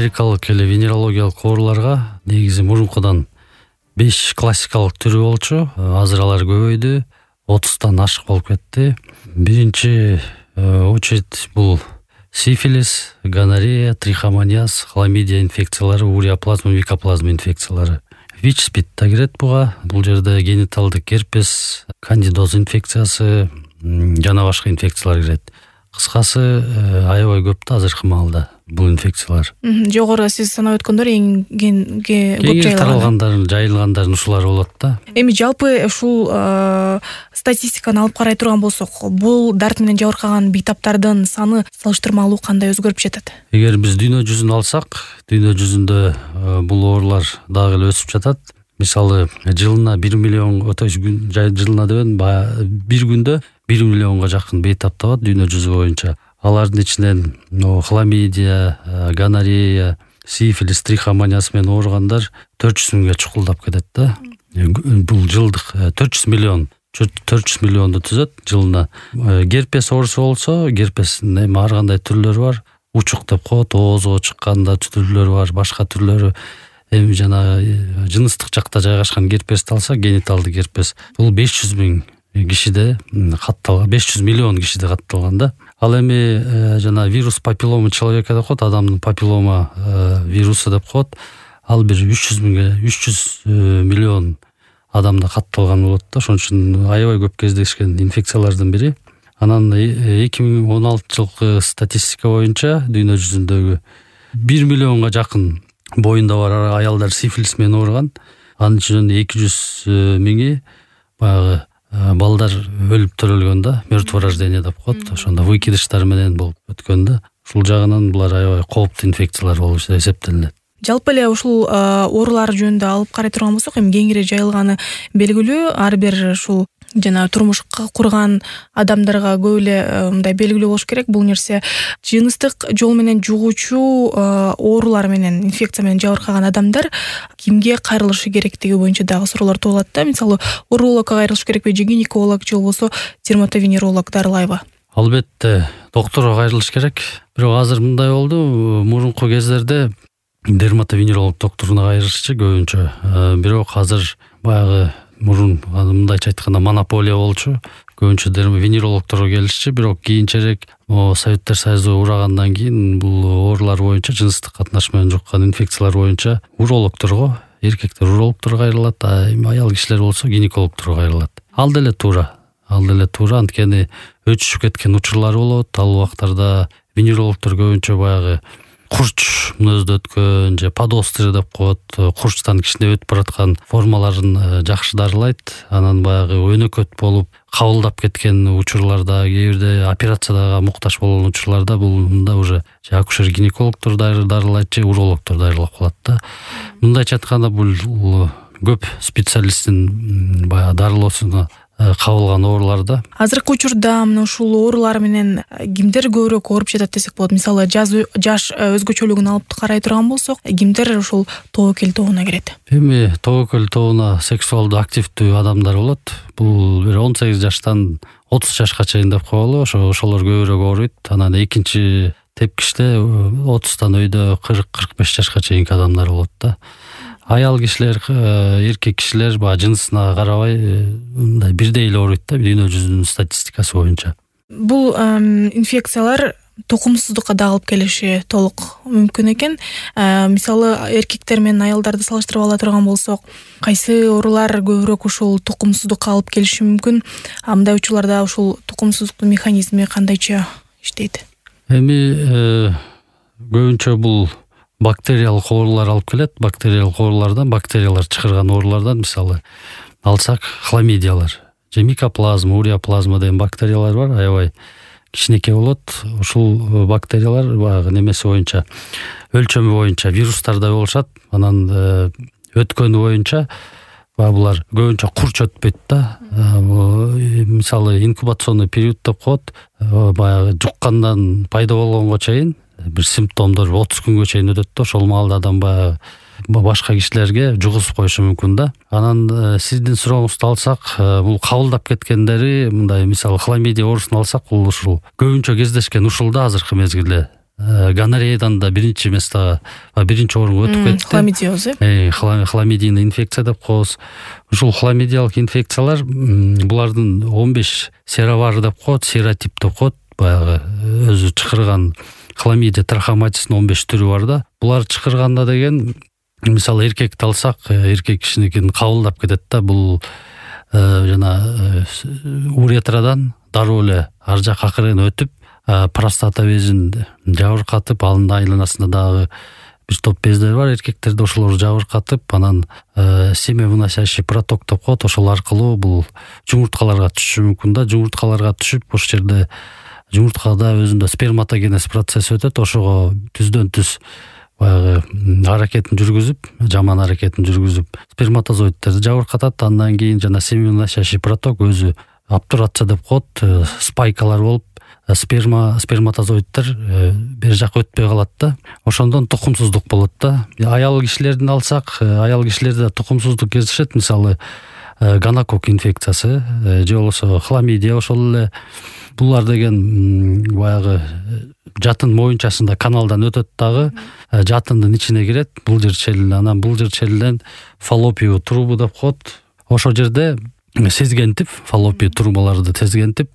америкалык эле венерологиялык ооруларга негизи мурункудан 5 классикалык түрү болчу. Азыр алар көбөйдү, 30тан ашык болуп кетти. Биринчи очередь бул сифилис, гонорея, трихомониаз, хламидия инфекциялары, уреоплазма, микоплазма инфекциялары. ВИЧ-СПИД да кирет буга. Бул жерде гениталдык герпес, кандидоз инфекциясы жана башка инфекциялар кирет. Кыскасы аябай көп да азыркы маалда бул инфекциялар. Жогору сиз санап өткөндөр эң көп жайылгандардын ушулар болот да. Эми жалпы ушул статистиканы алып карай турган болсок, бул дарт менен жабыркаган бейтаптардын саны салыштырмалуу кандай өзгөрүп жатат? Эгер биз дүйнө жүзүн алсак, дүйнө жүзүндө бул оорулар дагы эле өсүп жатат. Мисалы, жылына 1 миллион, жылына дебедим, бир күндө 1 миллионго жакын бейтап табат дүйнө жүзү боюнча. Алардын ичинен хламидия, гонорея, сифилис, трихомониаз менен ооругандар 400 миңге чукулдап кетет да. Бул жылдык 400 миллионду түзөт жылына. Герпес оорусу болсо, герпестин эми ар кандай түрлөрү бар. Учук деп коет, оозго чыкканда түрлөрү бар, башка түрлөрү. Эми жана жыныстык жакта жайгашкан герпести алса, гениталдык герпес. Бул 500 миң кишиде катталган, 500 миллион кишиде катталган да. Ал эми жана вирус папиллома человека деп коет, адамдын папиллома вирусу деп коет. Ал бир 300 миллион адамда катталган болот да. Ошон үчүн аябай көп кездешкен инфекциялардын бири. Анан 2016 жылкы статистика боюнча дүйнө жүзүндөгү 1 миллионго жакын боюнда бар аялдар сифилис менен ооруган. Анын ичинен 200 миңи баягы балдар өлүп төрөлгөн да, мертво рождение деп коет. Ошондо выкидыштар менен болуп өткөн да. Ушул жагынан булар аябай кооптуу инфекциялар болуп эсептелинет. Жалпы эле ушул оорулар жөнүндө алып карай турган болсок, эми кеңири жайылганы белгилүү. Ар бир ушул жана турмушка курган адамдарга көп эле мындай белгилүү болуш керек. Бул нерсе жыныстык жол менен жугуучу оорулар менен, инфекция менен жабыркаган адамдар кимге кайрылышы керектиги боюнча дагы суроолор туулат да. Мисалы, урологко кайрылыш керекпи, же гинеколог, же болбосо дерматовенеролог Дарылаева? Албетте, докторго кайрылыш керек. Бирок азыр мындай болду, мурунку кездерде дерматовенеролог докторуна кайрылышчу көбүнчө. Бирок азыр баягы мурун мындайча айтканда монополия болчу. Көбүнчө венерологторго келишчи, бирок кийинчерээк Советтер Союзу урагандан кийин бул оорулар боюнча, жыныстык катнаш менен жуккан инфекциялар боюнча урологторго, эркектер урологторго кайрылат, аял кишилер болсо гинекологторго кайрылат. Ал деле туура, анткени өчүшүп кеткен учурлары болот. Ал убактарда венерологтор көбүнчө баягы курч мүнөздө өткөн же подострый деп коет, курчтан кичине өтүп бараткан формаларын жакшы дарылайт. Анан баягы өнөкөт болуп кабылдап кеткен учурларда, кээ бирде операцияга муктаж болгон учурларда бул мында уже акушер-гинекологтор дарылайт же урологтор дарылап калат да. Мындайча айтканда бул көп специалисттин баягы дарылоосуна кабылган ооруларда. Азыркы учурда мына ушул оорулар менен кимдер көбүрөөк ооруп жатат десек болот? Мисалы, жаш өзгөчөлүгүн алып карай турган болсок, кимдер ушул тобокел тобуна кирет? Эми тобокел тобуна сексуалдуу активдүү адамдар болот. Бул 18 жаштан 30 жашка чейин деп коелу. Ошолор көбүрөөк ооруйт. Анан экинчи тепкичте 30тан өйдө 40-45 жашка чейинки адамдар болот да. Аял кишилер, эркек кишилер жынысына карабай мындай бирдей эле ооруйт да, дүйнө жүзүнүн статистикасы боюнча. Бул инфекциялар тукумсуздукка да алып келиши толук мүмкүн экен. Мисалы, эркектер менен аялдарды салыштырып ала турган болсок, кайсы оорулар көбүрөөк ушул тукумсуздукка алып келиши мүмкүн? Мындай учурларда ушул тукумсуздуктун механизми кандайча иштейт? Эми көбүнчө бул бактериялык оорулар алып келет. Бактериялык оорулардан, бактериялар чыгарган оорулардан мисалы алсак, хламидиялар же микоплазма, уреоплазма деген бактериялар бар, аябай кичинекей болот. Ушул бактериялар баягы немеси боюнча, өлчөмү боюнча вирустардай болушат. Анан өткөнү боюнча булар көбүнчө курч өтпөйт да. Мисалы, инкубационный период деп коет. Баягы жуккандан пайда болгонго чейин бир симптомдор 30 күнгө чейин өтөт да. Ошол маалда адам баягы башка кишилерге жугузуп коюшу мүмкүн да. Анан сиздин сурооңузду алсак, бул кабылдап кеткендери, мындай мисалы хламидия оорусун алсак, бул ушул көбүнчө кездешкен ушул да азыркы мезгилде. гонореядан да биринчи местага, биринчи орунга өтүп кетти. Хламидиоз, хламидийный инфекция деп коебуз. Ушул хламидиялык инфекциялар булардын 15 серовары деп коет, серотип деп коет. Баягы өзү чакырган хламидия трахоматисинин 15 түрү бар да. Булар чакырганда деген, мисалы эркекти алсак, эркек кишиникин кабылдап кетет да. Бул жана уретрадан дароо эле ар жак акырын өтүп, простата безин жабыркатып, анын айланасында дагы бир топ бездер бар, эркектерде ошолорду жабыркатып, анан семявыносящий проток деп коет. Ошол аркылуу бул жумурткаларга түшүшү мүмкүн да. Жумурткаларга түшүп, ошол жерде жумурткада өзүндө сперматогенез процесси өтөт. Ошого түздөн түз баягы аракетин жүргүзүп, жаман аракетин жүргүзүп, сперматозоидтерди жабыркатат. Андан кийин жана семявыносящий проток өзү обтурация деп коет, спайкалар болуп, сперматозоидтер бери жака өтпөй калат да. Ошондон тукумсуздук болот да. Аял кишилердин алсак, аял кишилерде тукумсуздук кездешет. Мисалы гонокок инфекциясы же болбосо хламидия. Ошол эле булар деген баягы жатын моюнчасында каналдан өтөт дагы, жатындын ичине кирет, булжыр челин. Анан булжыр челден фаллопию трубу деп коет. Ошол жерде сезгентип, фаллопию трубаларды сезгентип,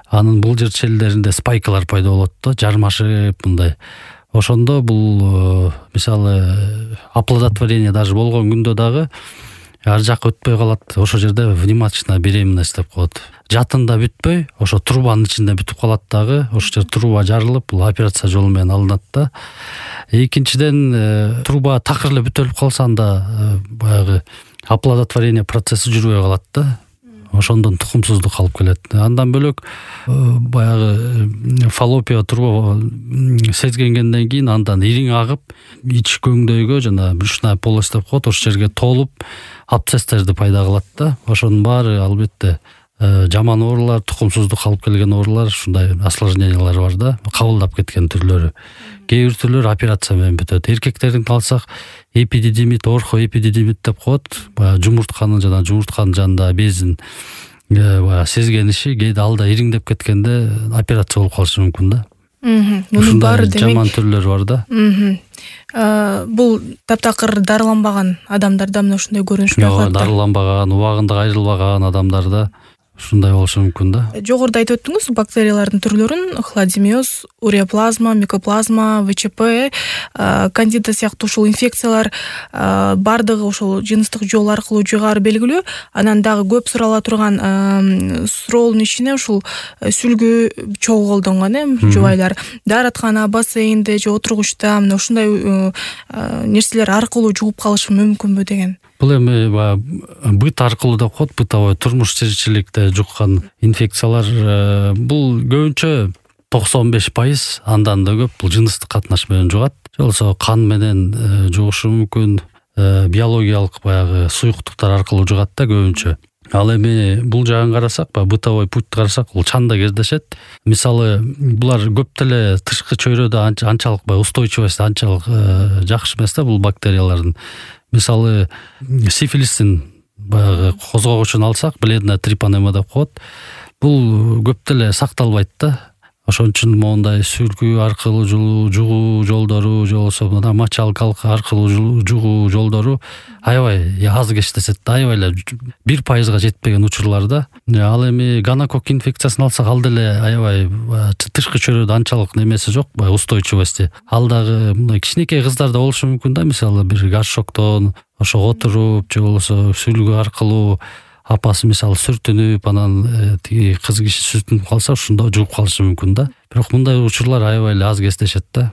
анын булжыр челдеринде спайкалар пайда болот да, жармашып мындай. Ошондо бул мисалы оплодотворение даже болгон күндө дагы ар жак өтпөй калат. Ошол жерде внематочная беременность деп коет. Жатында бүтпөй, ошо трубанын ичинде бүтүп калат дагы. Ошол жер труба жарылып, бул операция жолу менен алынат да. Экинчиден, труба такыр эле бүтөлүп калса, анда баягы оплодотворение процесси жүрбөй калат да. Ошондон тукумсуздук алып келет. Андан бөлөк баягы фаллопия труба сезгенгенден кийин андан ириң агып, ич көңдөйгө жана брюшная полость деп коет, ошол жерге толуп абсцесстерди пайда кылат да. Ошонун баары албетте жаман оорулар, тукумсуздук алып келген оорулар, ушундай осложнениялар бар да, кабылдап кеткен түрлөрү. Кээ бир түрлөрү операция менен бүтөт. Эркектердин алсак, эпидидимит, орхоэпидидимит деп коет. Баягы жумуртканын жанында безин сезгениши, кээде алда ириңдеп кеткенде операция болуп калышы мүмкүн да. Мунун баары демек жаман түрлөрү бар да. Бул таптакыр дарыланбаган адамдарда мына ушундай көрүнүш байкалат да. Дарыланбаган, убагында айрылбаган адамдарда ушундай болушу мүмкүн да. Жогоруда айтып өттүңүз бактериялардын түрлөрүн: хладимиоз, уреоплазма, микоплазма, ВЧП, кандида сыяктуу ушул инфекциялар бардыгы ошол жыныстык жол аркылуу жугары белгилүү. Анан дагы көп сурала турган суроонун ичине ушул сүлгү чогуу колдонгон, жубайлар даараткана, бассейнде же отургучта мына ушундай нерселер аркылуу жугуп калышы мүмкүнбү деген. Бул эми быт аркылуу деп коет, бытовой турмуш тиричиликте жуккан инфекциялар. Бул көбүнчө 95%, андан да көп бул жыныстык катнаш менен жугат. Же болбосо кан менен жугушу мүмкүн, биологиялык баягы суюктуктар аркылуу жугат да көбүнчө. Ал эми бул жагын карасак, бытовой путьты карасак, бул чанда кездешет. Мисалы булар көп деле тышкы чөйрөдө анчалык устойчивость анчалык жакшы эмес да бул бактериялардын. Мисалы сифилистин баягы козгогучун алсак, бледная трипанема деп коет. Бул көп деле сакталбайт да. Ошон үчүн моундай сүлгү аркылуу жугуу жолдору, же болбосо мочалка аркылуу жугуу жолдору аябай аз кездешет да, аябай эле 1%га жетпеген учурлар да. Ал эми гонокок инфекциясын алсак, ал деле аябай тышкы чөйрөдө анчалык немеси жок, устойчивости. Ал дагы мындай кичинекей кыздарда болушу мүмкүн да, мисалы бир горшоктон ошого отуруп, же болбосо сүлгү аркылуу апасы мисалы сүртүнүп, анан тиги кыз киши сүртүнүп калса, ушунда жугуп калышы мүмкүн да. Бирок мындай учурлар аябай эле аз кездешет да.